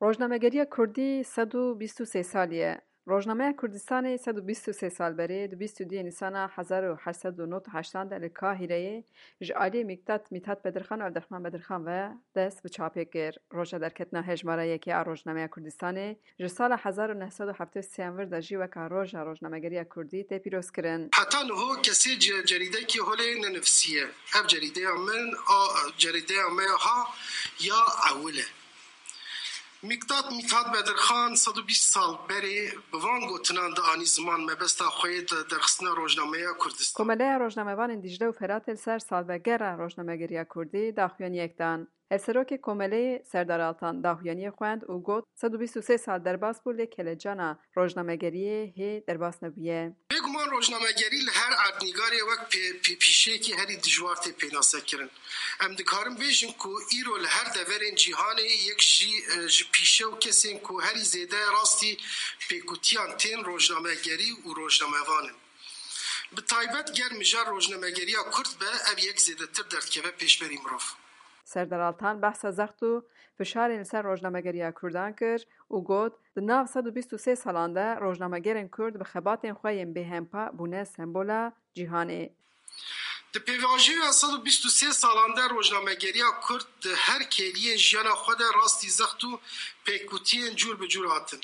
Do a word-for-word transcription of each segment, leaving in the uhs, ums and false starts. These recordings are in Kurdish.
Rojnamegeriya Kurdî sed û bîst û sê salî ye. Rojnameya Kurdistanê sed û bîst û sê sal berê, di bîst û duyê Nîsana hezar û heşt sed û nod û heştan de li Kahîreyê ji aliyê Mîktat Mîthat Bedirxan û Evdirxman Bedirxan ve dest bi çapê kir. Roja derketina hejmara yekê a Rojnameya Kurdistanê ji sala hezar û neh sed û heftê û sê yan vir de jî weka Roja Rojnamegeriya Kurdî tê pîrozkirin. Heta niho kesê ce-, cerîdekî holê nenivisiye. Ev cerîdeya min a cerîdeya me ya ha ya ewil e. Mîktat Mîthat Bedirxan sed û bîst sal berê bi van gotinan dianî ziman mebesta xwe yê de derxistina rojnameya Kurdistan. Komeleya Rojnamevanên Dîcle û Feratê li ser salvegera rojnamegeriya Kurdî daxuyaniyek dan. Hevserokê Komeleyê Serdar Altan daxuyaniyê xwend û got, sed û bîst û sê sal derbas bû, lê kelecana rojnamegeriyê hê derbas nebûye. Bêguman rojnamegerî li her erdnîgarê wek pê-, pê-, pîşeyekî herî dijwar tê pênasekirin. Em dikarin bêjin ku îro li her deverên cîhanê yek jî, e, ji pîşe û kesên ku herî zêde rastî pêkutiyan tên rojnamegerî û rojnamevan in. Bi taybet ger mijar rojnamegeriya Kurd be, ev yek zêdetir derdikeve pêşberî mirov. Serdar Altan behsa zext û fişarên li ser rojnamegeriya Kurdan kir û got, di nav sed û bîst û sê salan de rojnamegerên Kurd bi xebatên xwe yên bêhempa bûne sembola cîhanê. Di pêvajoya sed û bîst û sê salan de rojnamegeriya Kurd di her kêliyên jiyana xwe de rastî zext û pêkutiyên cûr bi cûr hatin.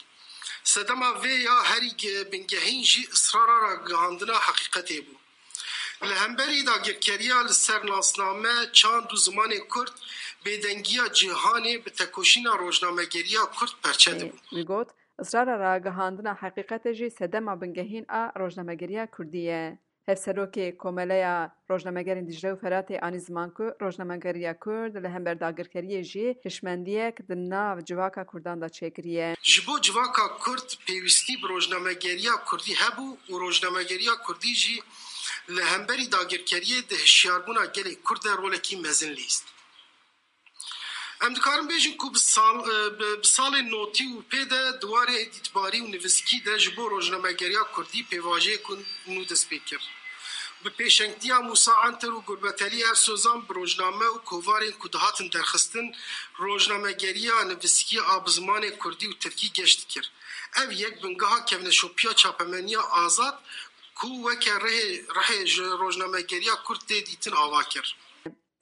Sedema vê ya herî ge-, bingehîn jî israra ragihandina heqîqetê bû. Li hemberî dagirkeriya li ser nasname, çand û zimanê Kurd, bêdengiya cîhanê bi tekoşîna rojnamegeriya Kurd perçe dibû. Wî got, israra ragihandina heqîqetê jî sedema bingehîn a rojnamegeriya Kurdî ye. Hevserokê Komeleya Rojnamegerên Dîcle û Feratê anî ziman ku rojnamegeriya Kurd li hember dagirkeriyê jî hişmendiyek di nav civaka Kurdan de çêkiriye. Ji bo civaka Kurd pêwîstî bi rojnamegeriya Kurdî hebû û rojnamegeriya Kurdî jî li hemberî dagirkeriyê di hişyarbûna gelê Kurd de rolekî mezin lîst. Em dikarin bêjin ku bi sal, e, bi, bi salên notî û pê de di warê êdîtbarî û nivîskî de ji bo rojnamegeriya Kurdî pêvajoyek nû dest pê kir. Bi pêşengtiya Mûsa Enter û Gurbeteli Ersozan bi rojname û kovarên ku dihatin derxistin, rojnamegeriya nivîskî a bi zimanê Kurdî û Tirkî geş dikir. Ev yek bingeha kevneşopiya çapemeniya azad ku weke rihê, rihê ji rojnamegeriya Kurd tê dîtin ava kir.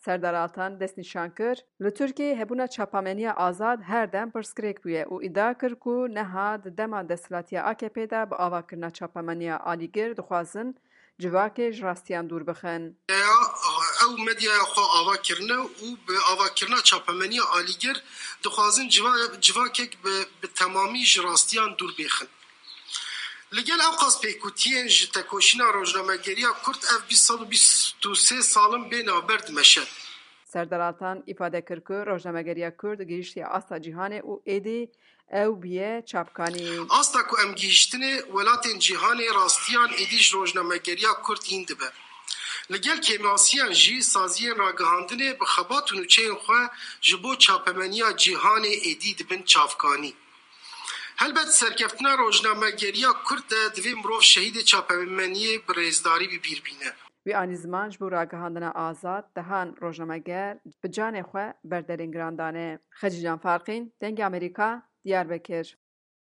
Serdar Altan destnîşan kir, li Tirkiyeyê hebûna çapameniya azad her dem pirsgirêk bûye û îdia kir ku neha di dema desthilatiya A K P de bi avakirina çapameniya alîgir dixwazin civakê ji rastiyan dûr bixin. Ya, ew medyaya xwe ava kirine û bi avakirina çapemeniya alîgir dixwazin civa-, civakek bi, bi temamî ji rastiyan dûr bêxin. Li gel ewqas pêkutiyên ji tekoşîna rojnamegeriya Kurd ev bîst sed û bîst û sê salin bê navber dimeşe. Serdar Altan îfade kir ku rojnamegeriya Kurd gihiştiye asta cîhanê û êdî ew bûye çapkanî. Asta ku em gihiştinê, welatên cîhanê rastiyan êdî ji rojnamegeriya Kurd hîn dibe. Li gel kêmasiyan jî saziyên ragihandinê bi xebat û nûçeyên xwe ji bo çapemeniya cîhanê êdî dibin çavkanî. Helbet serkeftina rojnamegeriya Kurd de divê mirov şehîdê çapemeniyê bi rêzdarî bi bîr bîne. Wî anî ziman ji bo ragihandina azad dehan rojnameger bi canê xwe ber derên giran dane. Xecîcan Farqîn, Dengê Amerîka, Diyarbekir.